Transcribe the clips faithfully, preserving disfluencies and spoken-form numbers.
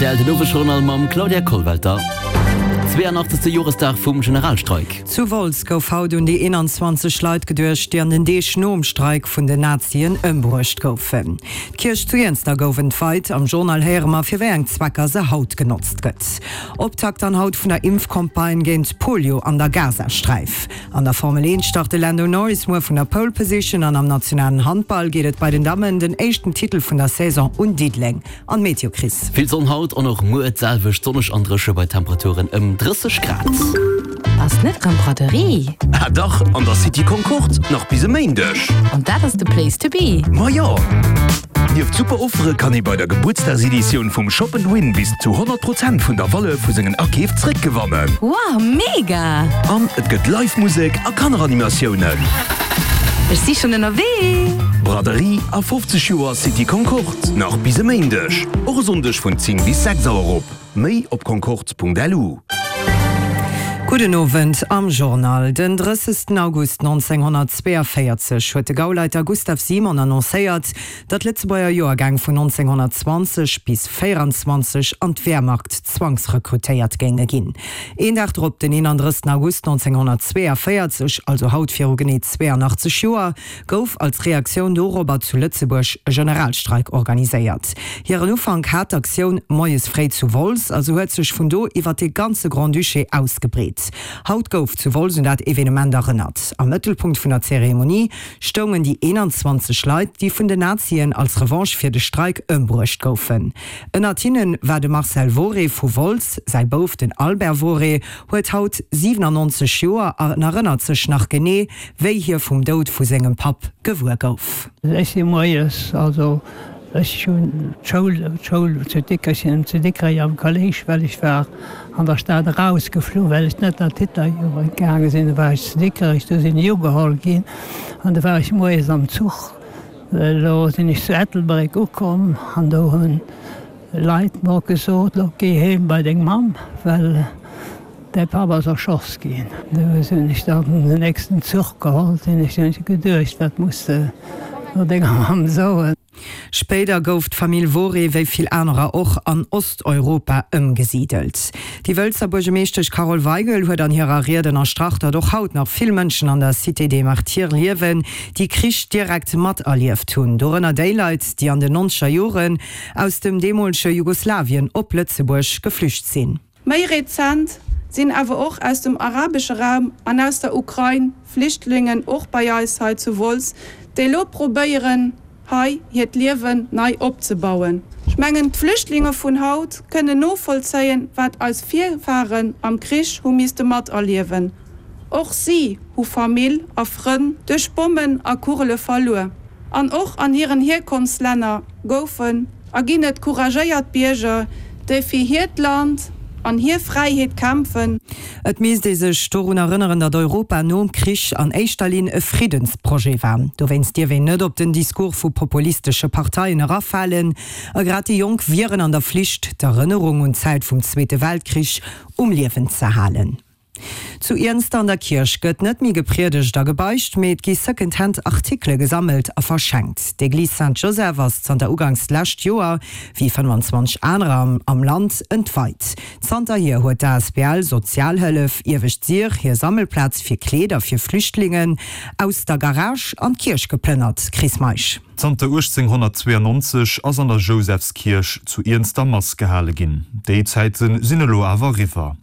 Rtl, Den Owesjournal mam Claudia Kollwelter. Zweeënachtzegste Joresdag vum Generalstreik. Zu Wolz gouf haut un déi eenanzwanzeg Leit geduecht, déi an den Deeg nom Streik vun den Nazien ëmbruecht goufen. D'Kierch zu Iernster gouf entweit. Am Journal héiere mer, fir wéi eng Zwecker se haut genotzt gëtt. Optakt dann haut vun der Impfcampagne géint Polio an der Gazasträif. An der Formel eent start de Lando Norris muer vun der Pole Position an am nationalen Handball geet et bei den Dammen den éischten Titel vun der Saison un Diddeleng. An d'Meteo, Chris. Vill Sonn haut an och muer d'selwecht sonneg an dréche bei Temperaturen ëm drësseg Grad. Ass net rëm Braderie? Ah dach, an der City Concorde, nach bis e Méindeg. An dat ass de Place to be! Ma jo! Nieft super Offere kann ee bei der Gebuertsdagseditioun vum Shop and Win bis zu honnert Prozent vun der Valeur vu sengen Akeef zréckgewannen. Wow, mega! An et gëtt live Musek a Kanneranimatiounen. Ech si schonn ënnerwee! Braderie a fofzeg Joer City Concorde, nach bis e Méindeg, och e Sonndeg vun zéng bis sechs Auer op. Méi op concorde.lu. Gudden Owend am Journal. Den drëssegsten August nonzénghonnertzweeënvéierzeg huet de Gauleiter Gustav Simon annoncéiert, datt Lëtzebuerger Joergäng vun nonzénghonnertzwanzeg bis véieranzwanzeg an d'Wehrmacht zwangsrekrutéiert géinge ginn. Een Dag drop, den eenandrëssten August nonzénghonnertzweeënvéierzeg, also haut viru genee zweeënachtzeg Joer, gouf als Reaktioun dorobber zu Lëtzebuerg e Generalstreik organiséiert. Hiren Ufank hat d'Aktioun moies fréi zu Wolz a se huet sech vun do iwwer de ganze Grand-Duché ausgebreet. Haut gouf zu Wolz un dat Evenement erënnert. Am Mëttelpunkt vun der Zeremonie stoungen déi eenanzwanzeg Leit, déi vun den Nazien als Revanche fir de Streik ëmbruecht goufen. Ënnert hinne war de Marcel Woré vu Wolz. Säi Bouf, den Albert Woré, huet haut siwenannonzeg Joer an erënnert sech nach genee, wéi hie vum Doud vu sengem Papp gewuer gouf. Ech si moies, also ech hunn d'Schoul, d'Schoul zu Dikrech, zu Dikrech am Kolléisch, well ech war an der Stad erausgeflu well ech net an d'Hitlerjugend gaange sinn. Du war ech zu Dikrech, du sinn ech ugeholl ginn an du war ech moies am Zuch. Elo sinn ech zu Ettelbréck ukomm an do hunn Leit mer gesot, Lo géi heem bei deng Mamm, well däi Papp ass erschoss ginn. Du sinn ech dann den nächsten Zuch geholl, sinn ech, hunn ech geduecht, wat muss de no denger Mamm soen. Spéider gouf d'Famill Woré, wéi vill anerer och, an Osteuropa ëmgesidelt. Déi Wëlzer Buergemeeschtesch Carole Weigel huet an hirer Ried ënnerstrach, datt och haut nach vill Mënschen an der Cité des Martyrs liewen, déi Krich direkt materlieft hunn, dorënner déi Leit, déi an den nonzeger Joren aus dem deemolege Jugoslawien op Lëtzebuerg geflücht sinn. Méi rezent sinn awer och aus dem arabesche Raum an aus der Ukrain Flüchtlingen och bei eis hei zu Wolz, déi elo probéieren, hei hiert Liewen nei opzebauen. Ech mengen, d'Flüchtlinge vun haut kënnen novollzéien, wat eis Virfaren am Krich hu misste materliewen. Och si hu Famill a Frënn duerch Bommen a Kugele verluer. An och an hiren Hierkonftslänner goufen a ginn et couragéiert Bierger, déi fir hiert Land an hir Fräiheet kämpfen. Et misst ee sech dorun erënneren, datt Europa nom Krich an éischter Linn e Friddensprojet war. Dowéinst dierf een net op den Discours vu populistesche Parteien erafalen. A grad déi Jonk wieren an der Flicht, d'Erënnerung un d'Zäit vum Zweete Weltkrich um Liewen ze halen. Zu Iernster an der Kierch gëtt net méi gepriedegt a gebeicht, mee et gi Second-Hand Artikele gesammelt a verschenkt. D'Eglise Saint-Joseph ass zanter uganks d'lescht Joer, wéi fënnwanzwanzeg anerer am Land, entweit. Zanterhier huet d'A S B L Sozialhëllef Iewescht Sir hir Sammelplaz fir Kleeder fir Flüchtlingen aus der Garage an d'Kierch geplënnert. Chris Meisch. Zanter uechtzénghonnertzweeënonnonzeg ass an der Jousefskierch zu Iernster Mass gehale ginn. Déi Zäite sinn elo awer eriwwer.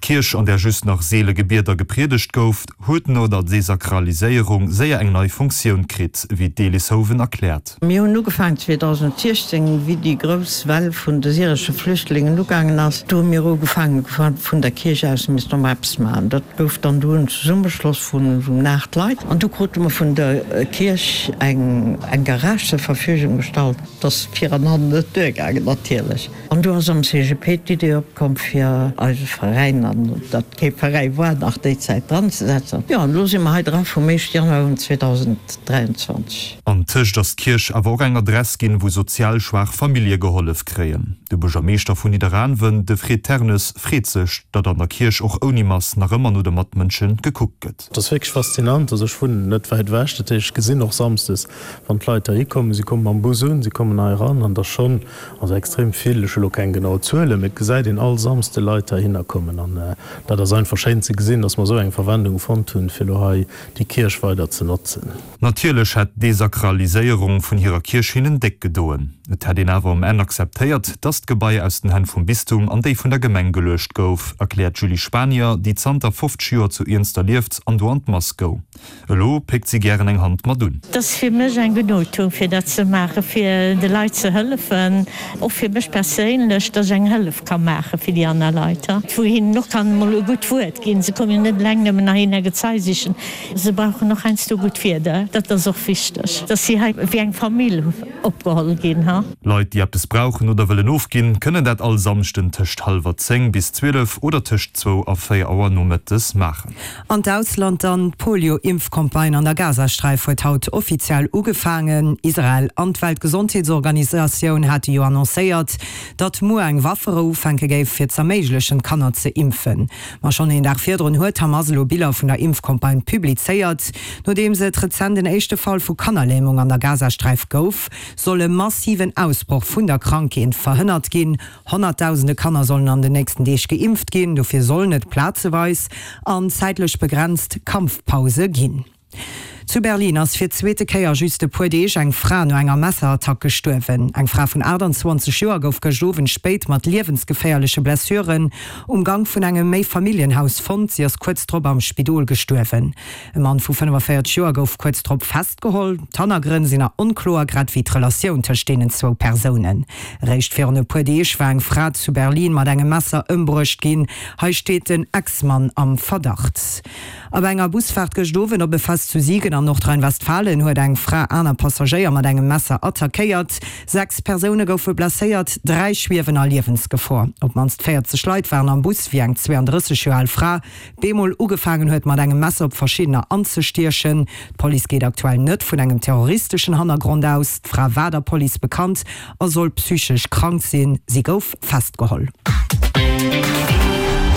D'Kierch, an där just nach seele Gebieder gepriedegt gouf, huet no der Desakraliséierung séier eng nei Funktioun kritt, wéi d'Elis Hoven erkläert. Mir hunn ugefaangen zweedausensiechzéng, wéi déi grouss Well vun de syresche Flüchtlingen ugaangen ass. Do hu mir ugefaangen, vun der Kierch aus misste mer eppes maachen. Dat gouf dann du en Zesummeschloss vun esou aacht Leit. An du krute mer vun der Kierch eng Garage zur Verfügung gestallt. Et ass vir an hannen net duergaangen natierlech. An du ass am C G P d'Idee opkomm fir eise Veräin an datt kee Veräi war nach déi Zäit dran ze setzen. Jo, an elo si mer hei dra vum éischte Januar un zweedausenddräianzwanzeg. An tëscht ass d'Kierch awer och eng Adress ginn, wou sozial schwaach Famillje gehollef kréien. De Buergermeeschter vun Nidderaanwen, de Fred Ternes, freet sech, datt an der Kierch och ouni Mass nach ëmmer no de Matmënsche gekuckt gëtt. Et ass wierklech faszinant. Also ech wunnen net wäit ewech, dat heescht ech gesinn och samsdes, wann d'Leit heihi kommen. Si komme mam Bus un, si kommen hei eran an et ass schonn, also extrem vill, ech hu lo keng genau Zuelen, mee et gesäit een all Samsde Leit heihinner kommen an dat ass einfach schéin ze gesinn, dass mer esou eng Verwendung fonnt hunn, fir elo hei déi Kierch weider ze notzen. Natierlech hätt d'Desakraliséierung vun hirer Kierch hinnen déck gedoen. Et hätt een awer um Enn akzeptéiert, dass d'Gebai aus den Hänn vum Bistum an déi vun der Gemeng geluecht gouf, erkläert d'Julie Spanier, déi zanter fofzeg Joer zu Iernster lieft an do an d'Mass goung. Elo péckt si gären eng Hand mat un. Et ass fir mech eng Genugtuung, fir dat ze maachen, fir de Leit ze hëllefen, och fir mech perséinlech, dass ech eng Hëllef ka maache fir déi aner Leit, wou hinnen och kann emol e gutt Wuert ginn. Se kommen jo net eleng nëmmen heihinner Gezei sichen, se brauchen och heiansdo gutt Wierder. Dat ass och wichteg, dass si hei wéi eng Famill opgeholl ginn. Leit, déi eppes brauchen oder wëllen ofginn, kënnen dat all Samschden tëscht hallwer zéng bis zwielef oder tëscht zwou a véier Auer nomëttes maachen. An d'Ausland dann, D'Polio-Impfcampagne an der Gazasträif huet haut offiziell ugefaangen. Israel an d'Weltgesondheetsorganisatioun hate jo annoncéiert, datt muer eng Wafferou ufänke géif, fir z'erméiglechen, d'Kanner ze impfen. Ma schonn een Dag virdrun huet d'Hamas elo Biller vun der Impfcampagne publizéiert. Nodeems et rezent en éischte Fall vu Kannerlämung an der Gazasträif gouf, soll e massiven Ausbroch vun der Krankheet verhënnert ginn. Honnertdausende Kanner sollen an den nächsten Deeg geimpft ginn. Dofir sollen et plazeweis an zäitlech begrenzt Kampfpause ginn. Zu Berlin ass fir d'zweete Kéier a just e puer Deeg eng Fra no enger Messerattack gestuerwen. Eng Fra vun aachtanzwanzeg Joer gouf gëscht Owend spéit mat liewensgeféierleche Blessuren um Gank vun engem Méifamilljenhaus fonnt. Si ass kuerz drop am Spidol gestuerwen. E Mann vu fënnefaféierzeg Joer gouf kuerz drop festgeholl. D'Hannergrënn sinn nach onkloer, grad wéi d'Relatioun tëscht deenen zwou Persounen. Eréischt virun e puer Deeg war eng Fra zu Berlin mat engem Messer ëmbruecht ginn. Hei steet den Ex-Mann am Verdacht. A bei enger Busfaart gëscht Owend op e Fest zu Siegen an Nordrhein-Westfalen huet eng Fra aner Passagéier mat engem Messer attackéiert. Sechs Persoune goufe blesséiert, dräi schwiewen a Liewensgefor. Op d'mannst véierzeg Leit waren am Bus, wéi eng zwouandrësseg Joer al Fra bemol ugefaangen huet, mat engem Messer op verschiddener anzestiechen. D'Police geet aktuell net vun engem terroristeschen Hannergrond aus. D'Fra war der Police bekannt a soll psychesch krank sinn. Si gouf festgeholl.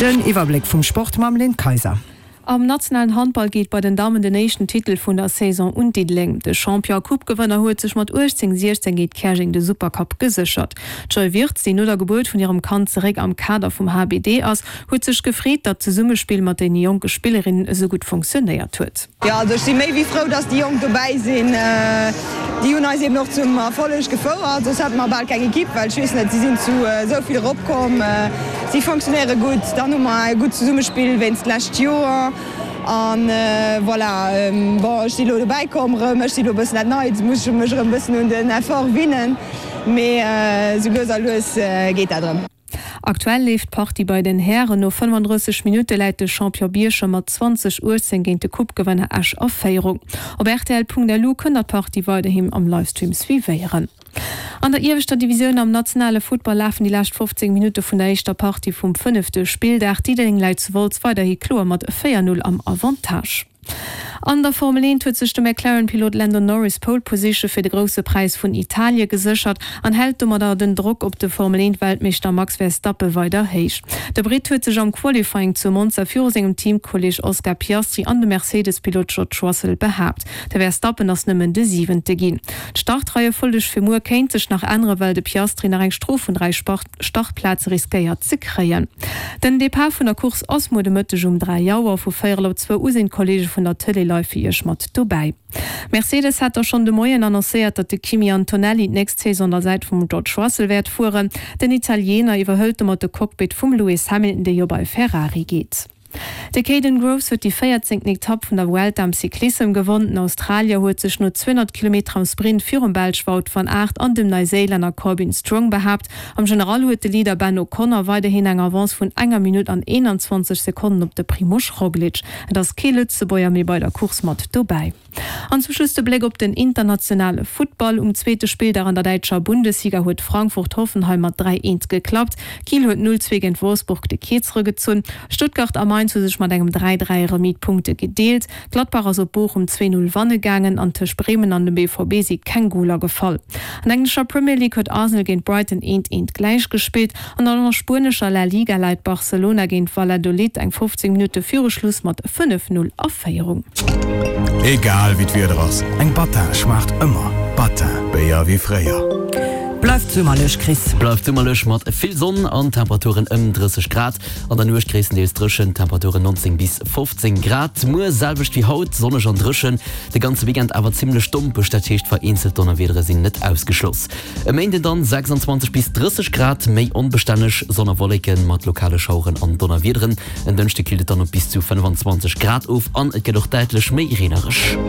Den Iwwerbléck vum Sport mam Lynn Kayser. Am nationalen Handball geet bei den Dammen den éischten Titel vun der Saison un Diddeleng. De Champion a Coupe-Gewënner huet sech mat uechtzéng siechzéng géint Käerjeng de Supercup geséchert. D'Joy Wirtz, déi no der Gebuert vun hirem Kand zeréck am Kader vum H B D ass, huet sech gefreet, datt d'Zesummespill mat deene jonke Spillerinnen esou gutt funktionéiert huet. Jo, also ech si méi wéi frou, dass déi Jonk dobäi sinn. Déi hunn eis eben och zum Erfolleg gefouert, soss hätte mer bal keng Ekipp, well ech weess net, si sinn zu esou vill eropkomm, si fonctionnéiere gutt, dann hu mer e gutt Zesummespill wéinst d'lescht Joer an voilà. Bon, ech si elo dobäi komm erëm, ech si elo e bëssen dat Neit, muss ech mech erëm e bëssen un den Effort winnen, mee esou lues a lues geet dat erëm. Aktuell leeft d'Partie bei den Hären. No fënnefandrësseg Minutte läit de Champion Bierchem mat zwanzeg uechtzéng géint de Coupe-Gewënner Esch a Féierung. Op rtl Punkt L U kënnt der d'Partie weiderhin am Livestream suivéieren. An der ieweschter Divisioun am nationale Futtball lafen déi lescht fofzéng Minutte vun der éischter Partie vum fënnefte Spilldag. Diddeleng läit zu Wolz weiderhi kloer mat véier Null am Avantage. An der Formel eent huet sech de McLaren-Pilot Lando Norris d'Pole Position fir de Grousse Präis vun Italie geséchert an hält domadder den Drock op de Formel eent-Weltmeeschter Max Verstappen weider héich. De Britt huet sech am Qualifying zu Monza viru sengem Teamkolleeg Oscar Piastri an dem Mercedes-Pilot George Russell behaapt. De Verstappen ass nëmmen de Siwente ginn. D'Startreiefolleg fir muer kéint sech nach änneren, well de Piastri nach eng Strof vun dräi Startplaze riskéiert ze kréien. Den Depart vun der Course ass muer de Mëtteg um dräi Auer. Vu véierel op zwou u sinn d'Kolleege vun der Tëlee live fir iech mat dobäi. Mercedes hat da schonn de Moien annoncéiert, datt de Kimi Antonelli d'nächst Saison un der Säit vum George Russell wäert fueren. Den Italiener iwwerhëlt domat de Cockpit vum Lewis Hamilton, dee jo bei Ferrari geet. De Kaden Groves huet déi véierzéngten Etapp vun der Vuelta am Cyclissem gewonn. Den Australier huet sech no zweehonnert Kilometer am Sprint virum Belsch Wout van Aert an dem Neiséilänner Corbin Strong behaapt. Am General huet de Leader Ben O'Connor weiderhin eng Avance vun enger Minutt an eenanzwanzeg Sekonnen op de Primož Roglič. Et ass kee Lëtzebuerger méi bei der Course mat dobäi. An zum Schluss de Bléck op den internationale Futtball. Um zweete Spilldag an der däitscher Bundesliga huet Frankfurt Hoffenheim mat dräi eent geklappt. Kiel huet null zwee géint Wolfsburg de Kierzere gezunn. Stuttgart a Mainz hu sech mat engem dräi dräi Remis d'Punkte gedeelt. Gladbach ass op Bochum zwee null wanne gaangen an tëscht Bremen an dem B V B si keng Goler gefall. An der englescher Premier League huet Arsenal géint Brighton eent eent gläich gespillt an an der spuenescher La Liga läit Barcelona géint Valladolid eng fofzéng Minutte viru Schluss mat fënnef null a Féierung. Egal wéi d'Wieder ass, eng Battin schmaacht ëmmer. Battin, Béier wéi fréier. Bleift summerlech, Chris. Bleift summerlech mat vill Sonn an Temperaturen ëm drësseg Grad. An der Nuecht gréisstendeels dréchen, Temperaturen neunzéng bis fofzéng Grad. Muer selwecht wéi haut, sonneg an dréchen. De ganze Weekend awer zimmlech dompeg, dat heescht vereenzelt Donnerwiedere sinn net ausgeschloss. E Méinden dann sechsanzwanzeg bis drësseg Grad, méi onbestänneg, Sonn a Wolleken mat lokale Schaueren an Donnerwiederen. En Dënschde killt et dann op bis zu fënnefenzwanzeg Grad of an et gëtt och däitlech méi reenereg.